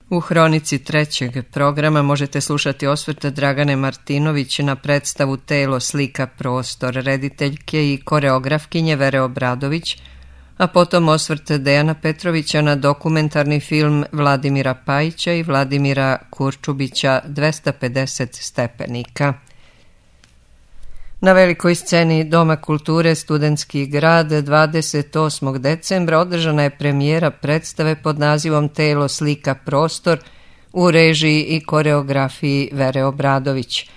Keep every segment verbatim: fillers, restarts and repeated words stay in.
U hronici trećeg programa možete slušati osvrt Dragane Martinović na predstavu Telo, slika, prostor, rediteljke i koreografkinje Vere Obradović, a potom osvrt Dejana Petrovića na dokumentarni film Vladimira Pajića i Vladimira Kurčubića dvesta pedeset stepenika. Na velikoj sceni Doma kulture Studentski grad dvadeset osmog decembra održana je premijera predstave pod nazivom Telo, slika, prostor u režiji i koreografiji Vere Obradović.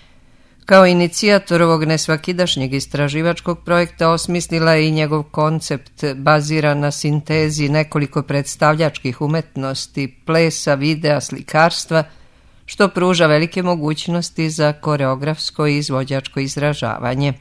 Kao inicijator ovog nesvakidašnjeg istraživačkog projekta osmislila je i njegov koncept baziran na sintezi nekoliko predstavljačkih umetnosti, plesa, videa, slikarstva, što pruža velike mogućnosti za koreografsko i izvođačko izražavanje.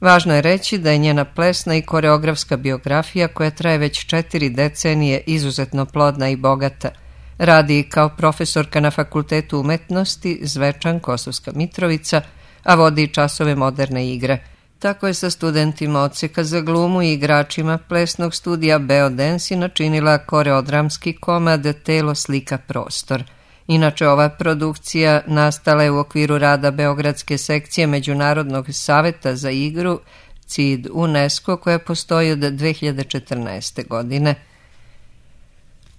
Važno je reći da je njena plesna i koreografska biografija, koja traje već četiri decenije, izuzetno plodna i bogata. Radi kao profesorka na Fakultetu umetnosti Zvečan, Kosovska Mitrovica, a vodi časove moderne igre. Tako je sa studentima odseka za glumu i igračima plesnog studija Beodance načinila koreodramski komad Telo, slika, prostor. Inače, ova produkcija nastala je u okviru rada Beogradske sekcije Međunarodnog saveta za igru C I D UNESCO, koja postoji od dve hiljade četrnaeste. godine.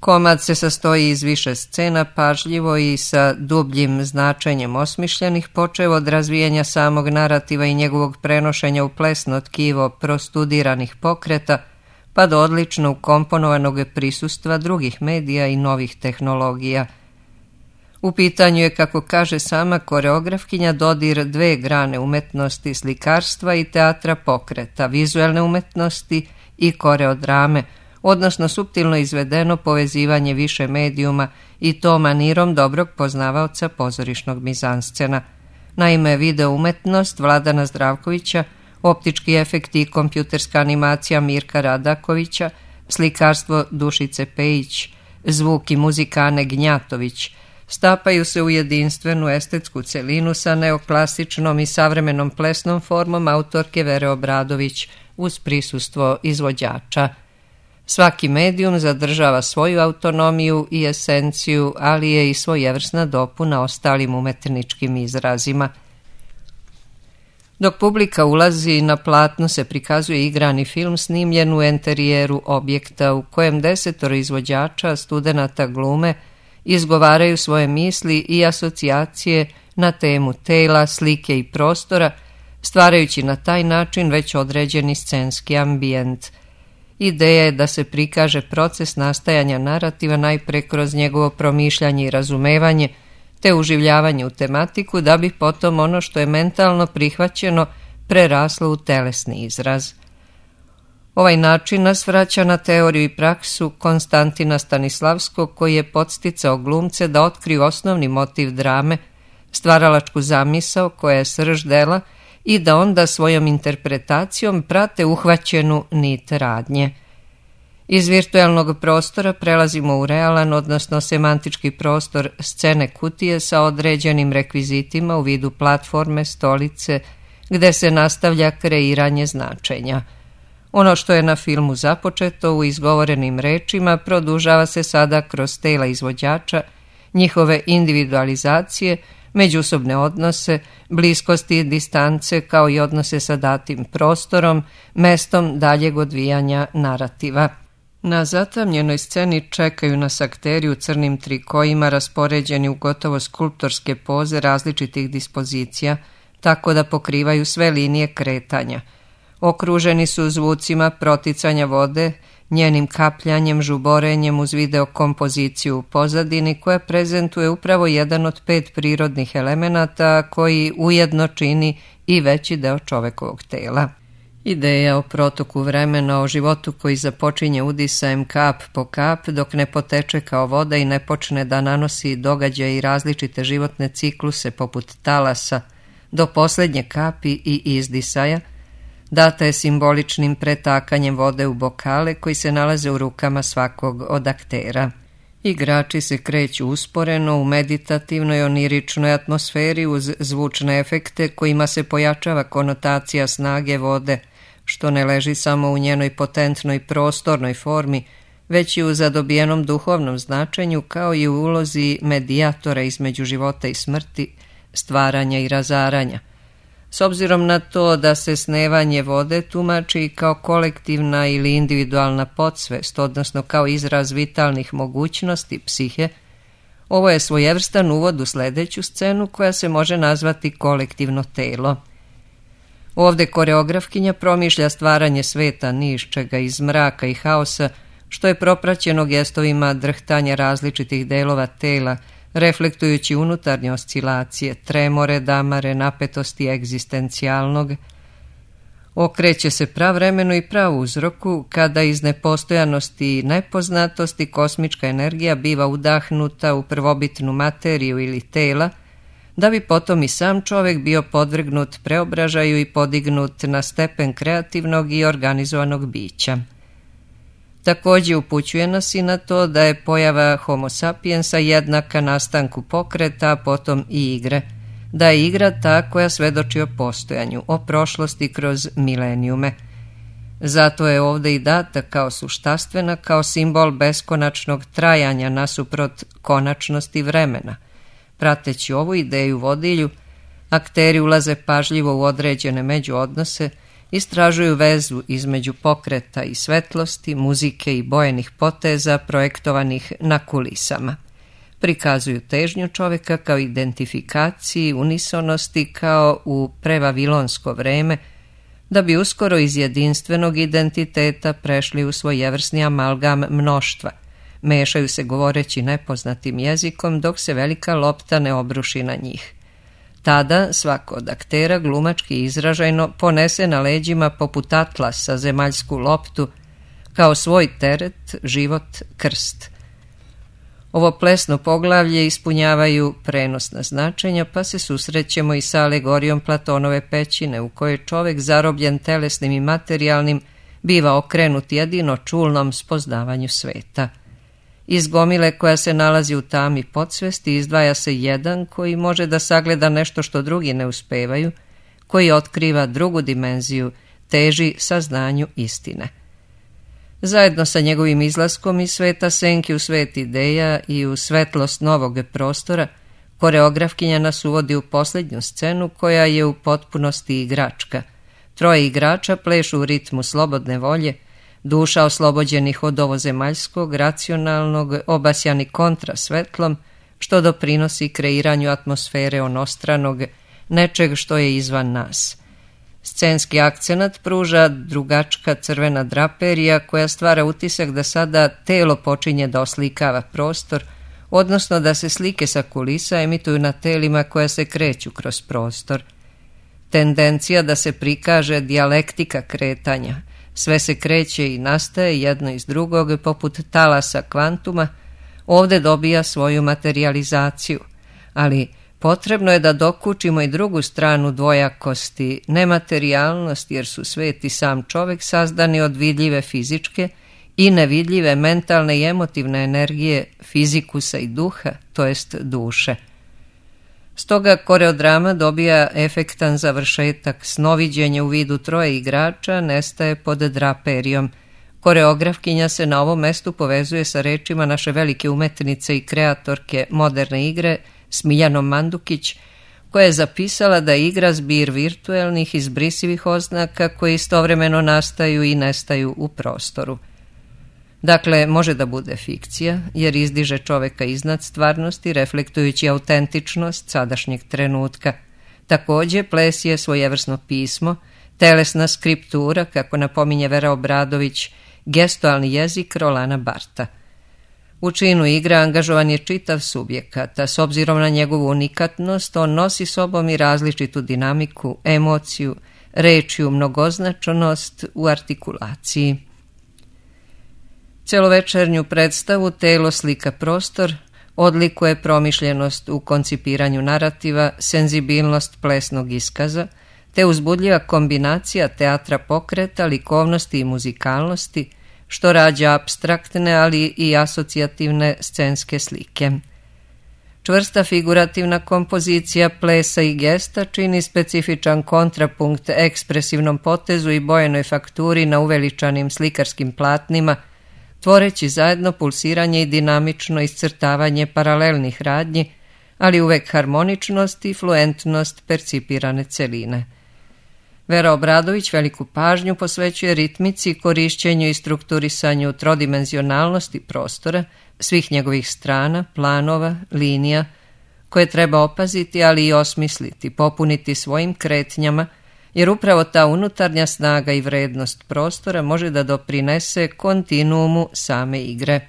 Komad se sastoji iz više scena, pažljivo i sa dubljim značenjem osmišljenih, počev od razvijanja samog narativa i njegovog prenošenja u plesno tkivo prostudiranih pokreta, pa do odlično ukomponovanog prisustva drugih medija i novih tehnologija. U pitanju je, kako kaže sama koreografkinja, dodir dve grane umetnosti, slikarstva i teatra pokreta, vizuelne umetnosti i koreodrame, odnosno suptilno izvedeno povezivanje više medijuma i to manirom dobrog poznavaoca pozorišnog mizanscena. Naime, video umetnost Vladana Zdravkovića, optički efekti i kompjuterska animacija Mirka Radakovića, slikarstvo Dušice Pejić, zvuk i muzika Ane Gnjatović, stapaju se u jedinstvenu estetsku celinu sa neoklasičnom i savremenom plesnom formom autorke Vere Obradović uz prisustvo izvođača. Svaki medijum zadržava svoju autonomiju i esenciju, ali je i svojevrsna dopuna ostalim umetničkim izrazima. Dok publika ulazi, na platnu se prikazuje igrani film snimljen u enterijeru objekta u kojem desetoro izvođača, studenata glume, izgovaraju svoje misli i asocijacije na temu tela, slike i prostora, stvarajući na taj način već određeni scenski ambijent. Ideja je da se prikaže proces nastajanja narativa najpre kroz njegovo promišljanje i razumevanje, te uživljavanje u tematiku, da bi potom ono što je mentalno prihvaćeno preraslo u telesni izraz. Ovaj način nas vraća na teoriju i praksu Konstantina Stanislavskog, koji je podsticao glumce da otkriju osnovni motiv drame, stvaralačku zamisao koja je srž dela, i da onda svojom interpretacijom prate uhvaćenu nit radnje. Iz virtualnog prostora prelazimo u realan, odnosno semantički prostor scene kutije sa određenim rekvizitima u vidu platforme, stolice, gde se nastavlja kreiranje značenja. Ono što je na filmu započeto u izgovorenim rečima produžava se sada kroz tela izvođača, njihove individualizacije, međusobne odnose, bliskosti i distance, kao i odnose sa datim prostorom, mestom daljeg odvijanja narativa. Na zatamljenoj sceni čekaju nas akteri u crnim trikojima raspoređeni u gotovo skulptorske poze različitih dispozicija, tako da pokrivaju sve linije kretanja. Okruženi su zvucima proticanja vode, njenim kapljanjem, žuborenjem uz video kompoziciju u pozadini koja prezentuje upravo jedan od pet prirodnih elemenata koji ujedno čini i veći deo čovekovog tela. Ideja o protoku vremena, o životu koji započinje udisajem kap po kap dok ne poteče kao voda i ne počne da nanosi događaje i različite životne cikluse poput talasa do posljednje kapi i izdisaja, data je simboličnim pretakanjem vode u bokale koji se nalaze u rukama svakog od aktera. Igrači se kreću usporeno u meditativnoj oniričnoj atmosferi uz zvučne efekte kojima se pojačava konotacija snage vode, što ne leži samo u njenoj potentnoj prostornoj formi, već i u zadobijenom duhovnom značenju, kao i u ulozi medijatora između života i smrti, stvaranja i razaranja. S obzirom na to da se snevanje vode tumači kao kolektivna ili individualna podsvest, odnosno kao izraz vitalnih mogućnosti psihe, ovo je svojevrstan uvod u sljedeću scenu koja se može nazvati kolektivno telo. Ovdje koreografkinja promišlja stvaranje sveta ni iz čega, iz mraka i haosa, što je propraćeno gestovima drhtanja različitih delova tela, reflektujući unutarnje oscilacije, tremore, damare, napetosti egzistencijalnog. Okreće se pravremenu i prav uzroku, kada iz nepostojanosti i nepoznatosti kosmička energija biva udahnuta u prvobitnu materiju ili tela, da bi potom i sam čovjek bio podvrgnut preobražaju i podignut na stepen kreativnog i organizovanog bića. Također upućuje nas i na to da je pojava homo sapiensa jednaka nastanku pokreta, a potom i igre, da je igra ta koja svedoči o postojanju, o prošlosti kroz milenijume. Zato je ovdje i data kao suštastvena, kao simbol beskonačnog trajanja nasuprot konačnosti vremena. Prateći ovu ideju vodilju, akteri ulaze pažljivo u određene međuodnose, istražuju vezu između pokreta i svetlosti, muzike i bojenih poteza projektovanih na kulisama. Prikazuju težnju čovjeka kao identifikaciji, unisonosti kao u prevavilonsko vreme, da bi uskoro iz jedinstvenog identiteta prešli u svojevrsni amalgam mnoštva. Mešaju se govoreći nepoznatim jezikom dok se velika lopta ne obruši na njih. Tada svako od aktera glumački izražajno ponese na leđima poput atlasa zemaljsku loptu, kao svoj teret, život, krst. Ovo plesno poglavlje ispunjavaju prenosna značenja, pa se susrećemo i sa alegorijom Platonove pećine, u kojoj čovjek zarobljen telesnim i materijalnim biva okrenut jedino čulnom spoznavanju sveta. Iz gomile koja se nalazi u tami podsvesti izdvaja se jedan koji može da sagleda nešto što drugi ne uspevaju, koji otkriva drugu dimenziju, teži saznanju istine. Zajedno sa njegovim izlaskom iz sveta senki u svet ideja i u svetlost novog prostora, koreografkinja nas uvodi u posljednju scenu koja je u potpunosti igračka. Troje igrača plešu u ritmu slobodne volje, duša oslobođenih od ovozemaljskog, racionalnog, obasjani kontra svetlom, što doprinosi kreiranju atmosfere onostranog, nečeg što je izvan nas. Scenski akcenat pruža drugačka crvena draperija koja stvara utisak da sada telo počinje da oslikava prostor, odnosno da se slike sa kulisa emituju na telima koja se kreću kroz prostor. Tendencija da se prikaže dijalektika kretanja, sve se kreće i nastaje jedno iz drugog poput talasa kvantuma, ovdje dobija svoju materializaciju, ali potrebno je da dokučimo i drugu stranu dvojakosti, nematerijalnost, jer su svet i sam čovjek sazdani od vidljive fizičke i nevidljive mentalne i emotivne energije, fizikusa i duha, to jest duše. Stoga koreodrama dobija efektan završetak, snoviđenje u vidu troje igrača nestaje pod draperijom. Koreografkinja se na ovom mestu povezuje sa rečima naše velike umetnice i kreatorke moderne igre Smiljanom Mandukić, koja je zapisala da je igra zbir virtuelnih izbrisivih oznaka koje istovremeno nastaju i nestaju u prostoru. Dakle, može da bude fikcija, jer izdiže čoveka iznad stvarnosti, reflektujući autentičnost sadašnjeg trenutka. Također, ples je svojevrsno pismo, telesna skriptura, kako napominje Vera Obradović, gestualni jezik Rolana Barta. U činu igre angažovan je čitav subjekat, a s obzirom na njegovu unikatnost, on nosi sobom i različitu dinamiku, emociju, rečju mnogoznačnost u artikulaciji. Celovečernju predstavu Telo, slika, prostor odlikuje promišljenost u koncipiranju narativa, senzibilnost plesnog iskaza, te uzbudljiva kombinacija teatra pokreta, likovnosti i muzikalnosti, što rađa apstraktne, ali i asocijativne scenske slike. Čvrsta figurativna kompozicija plesa i gesta čini specifičan kontrapunkt ekspresivnom potezu i bojenoj fakturi na uveličanim slikarskim platnima, tvoreći zajedno pulsiranje i dinamično iscrtavanje paralelnih radnji, ali uvek harmoničnost i fluentnost percipirane celine. Vera Obradović veliku pažnju posvećuje ritmici, korišćenju i strukturisanju trodimenzionalnosti prostora, svih njegovih strana, planova, linija, koje treba opaziti, ali i osmisliti, popuniti svojim kretnjama, jer upravo ta unutarnja snaga i vrednost prostora može da doprinese kontinuumu same igre.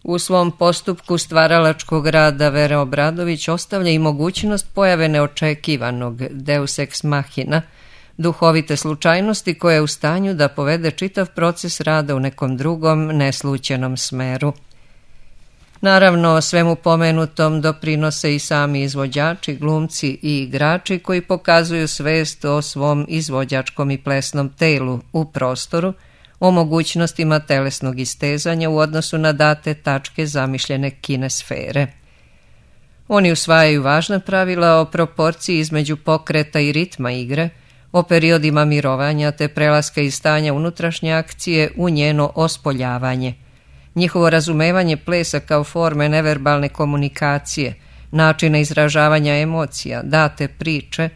U svom postupku stvaralačkog rada Vera Obradović ostavlja i mogućnost pojave neočekivanog deus ex machina, duhovite slučajnosti koja je u stanju da povede čitav proces rada u nekom drugom, neslućenom smeru. Naravno, svemu pomenutom doprinose i sami izvođači, glumci i igrači koji pokazuju svest o svom izvođačkom i plesnom telu u prostoru, o mogućnostima telesnog istezanja u odnosu na date tačke zamišljene kinesfere. Oni usvajaju važna pravila o proporciji između pokreta i ritma igre, o periodima mirovanja te prelaska iz stanja unutrašnje akcije u njeno ospoljavanje. Njihovo razumevanje plesa kao forme neverbalne komunikacije, načina izražavanja emocija, date priče,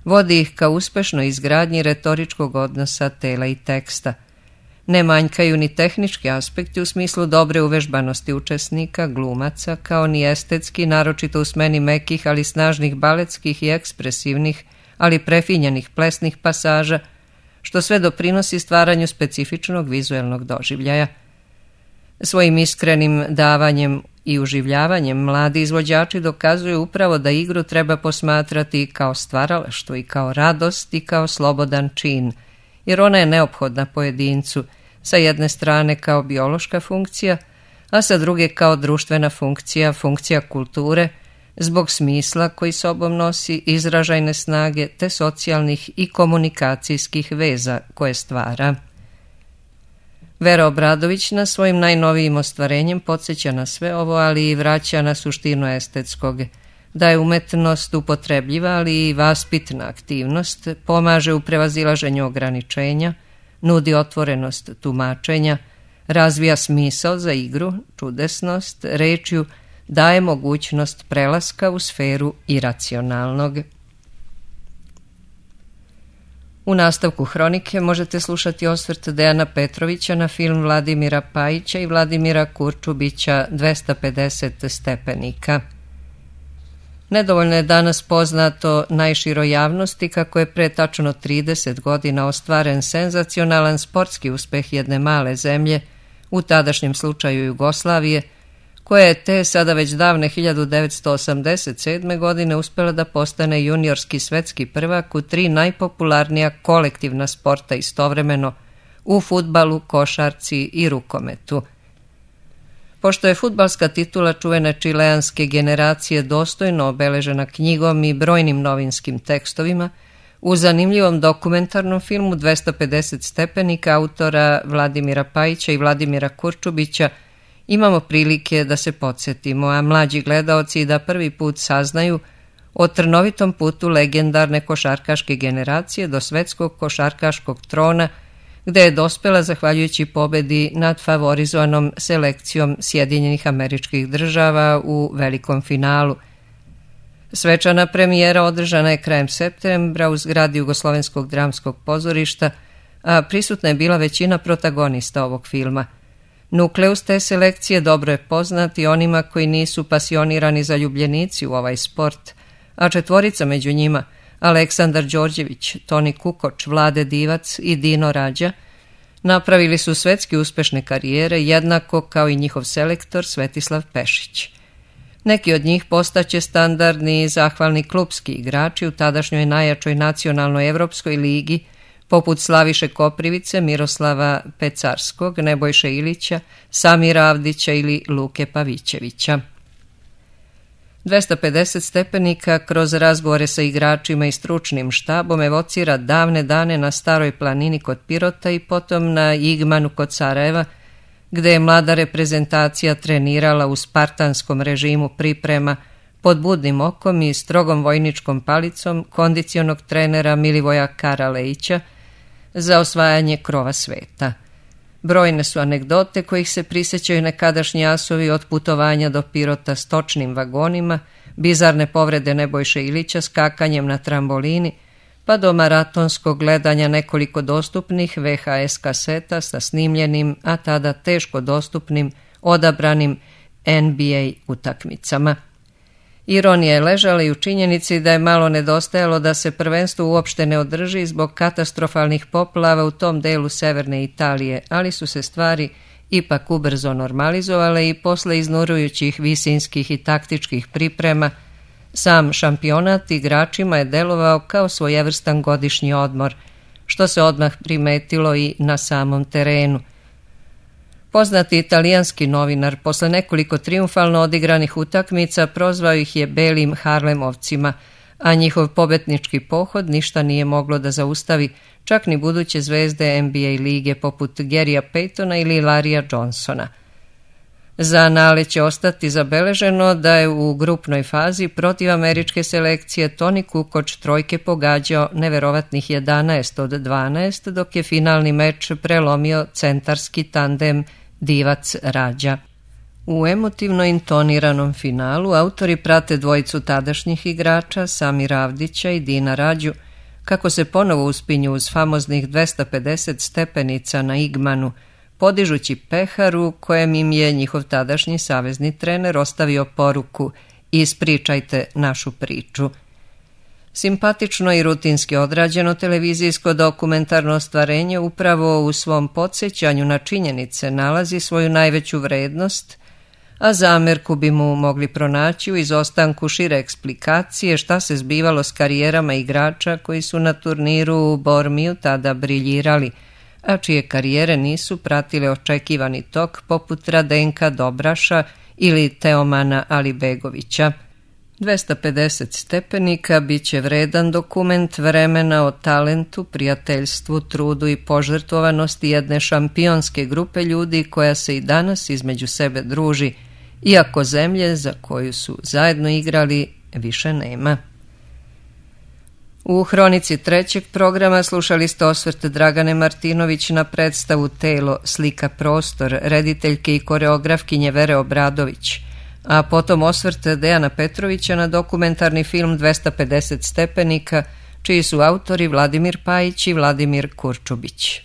vodi ih ka uspešnoj izgradnji retoričkog odnosa tela i teksta. Ne manjkaju ni tehnički aspekti u smislu dobre uvežbanosti učesnika, glumaca, kao ni estetski, naročito u smeni mekih, ali snažnih baletskih i ekspresivnih, ali prefinjenih plesnih pasaža, što sve doprinosi stvaranju specifičnog vizuelnog doživljaja. Svojim iskrenim davanjem i uživljavanjem mladi izvođači dokazuju upravo da igru treba posmatrati kao stvaralaštvo i kao radost i kao slobodan čin, jer ona je neophodna pojedincu, sa jedne strane kao biološka funkcija, a sa druge kao društvena funkcija, funkcija kulture, zbog smisla koji sobom nosi, izražajne snage te socijalnih i komunikacijskih veza koje stvara. Vera Obradović na svojim najnovijim ostvarenjem podsjeća na sve ovo, ali i vraća na suštinu estetskog, da je umetnost upotrebljiva, ali i vaspitna aktivnost, pomaže u prevazilaženju ograničenja, nudi otvorenost tumačenja, razvija smisao za igru, čudesnost, rečju, daje mogućnost prelaska u sferu iracionalnog. U nastavku hronike možete slušati osvrt Dejana Petrovića na film Vladimira Pajića i Vladimira Kurčubića dvesta pedeset stepenika. Nedovoljno je danas poznato najširoj javnosti kako je pre tačno trideset godina ostvaren senzacionalan sportski uspeh jedne male zemlje, u tadašnjem slučaju Jugoslavije, koja je te sada već davne hiljadu devetsto osamdeset sedme. godine uspela da postane juniorski svetski prvak u tri najpopularnija kolektivna sporta istovremeno, u fudbalu, košarci i rukometu. Pošto je fudbalska titula čuvene čileanske generacije dostojno obeležena knjigom i brojnim novinskim tekstovima, u zanimljivom dokumentarnom filmu dvesta pedeset stepenika autora Vladimira Pajića i Vladimira Kurčubića imamo prilike da se podsjetimo, a mlađi gledaoci da prvi put saznaju o trnovitom putu legendarne košarkaške generacije do svetskog košarkaškog trona, gde je dospela zahvaljujući pobedi nad favorizovanom selekcijom Sjedinjenih Američkih Država u velikom finalu. Svečana premijera održana je krajem septembra u zgradi Jugoslovenskog dramskog pozorišta, a prisutna je bila većina protagonista ovog filma. Nukleus te selekcije dobro je poznat i onima koji nisu pasionirani zaljubljenici u ovaj sport, a četvorica među njima, Aleksandar Đorđević, Toni Kukoč, Vlade Divac i Dino Rađa, napravili su svetski uspešne karijere jednako kao i njihov selektor Svetislav Pešić. Neki od njih postaće standardni i zahvalni klupski igrači u tadašnjoj najjačoj nacionalnoj evropskoj ligi, poput Slaviše Koprivice, Miroslava Pecarskog, Nebojše Ilića, Samira Avdića ili Luke Pavićevića. dvesta pedeset stepenika kroz razgovore sa igračima i stručnim štabom evocira davne dane na Staroj planini kod Pirota i potom na Igmanu kod Sarajeva, gde je mlada reprezentacija trenirala u spartanskom režimu priprema pod budnim okom i strogom vojničkom palicom kondicionog trenera Milivoja Karalejića za osvajanje krova sveta. Brojne su anegdote kojih se prisjećaju nekadašnji asovi, od putovanja do Pirota s točnim vagonima, bizarne povrede Nebojše Ilića skakanjem na trambolini, pa do maratonskog gledanja nekoliko dostupnih ve ha es kaseta sa snimljenim, a tada teško dostupnim, odabranim en bi ej utakmicama. Ironija je ležala i u činjenici da je malo nedostajalo da se prvenstvo uopšte ne održi zbog katastrofalnih poplava u tom delu severne Italije, ali su se stvari ipak ubrzo normalizovale i posle iznurujućih visinskih i taktičkih priprema sam šampionat igračima je delovao kao svojevrstan godišnji odmor, što se odmah primetilo i na samom terenu. Poznati italijanski novinar posle nekoliko trijumfalno odigranih utakmica prozvao ih je belim Harlemovcima, a njihov pobednički pohod ništa nije moglo da zaustavi, čak ni buduće zvezde en bi ej lige poput Garyja Paytona ili Larrya Johnsona. Za anale će ostati zabeleženo da je u grupnoj fazi protiv američke selekcije Toni Kukoč trojke pogađao neverovatnih jedanaest od dvanaest, dok je finalni meč prelomio centarski tandem Divac Rađa. U emotivno intoniranom finalu autori prate dvojicu tadašnjih igrača, Samira Avdića i Dina Rađu, kako se ponovo uspinju uz famoznih dvesta pedeset stepenica na Igmanu, podižući pehar u kojem im je njihov tadašnji savezni trener ostavio poruku: ispričajte našu priču. Simpatično i rutinski odrađeno televizijsko dokumentarno ostvarenje upravo u svom podsjećanju na činjenice nalazi svoju najveću vrednost, a zamerku bi mu mogli pronaći u izostanku šire eksplikacije šta se zbivalo s karijerama igrača koji su na turniru u Bormiju tada briljirali, a čije karijere nisu pratile očekivani tok poput Radenka Dobraša ili Teomana Alibegovića. dvesta pedeset stepenika bit će vredan dokument vremena o talentu, prijateljstvu, trudu i požrtvovanosti jedne šampionske grupe ljudi koja se i danas između sebe druži, iako zemlje za koju su zajedno igrali više nema. U hronici trećeg programa slušali ste osvrt Dragane Martinović na predstavu Telo, slika, prostor, rediteljke i koreografkinje Vere Obradović, a potom osvrt Dejana Petrovića na dokumentarni film dvesta pedeset stepenika, čiji su autori Vladimir Pajić i Vladimir Kurčubić.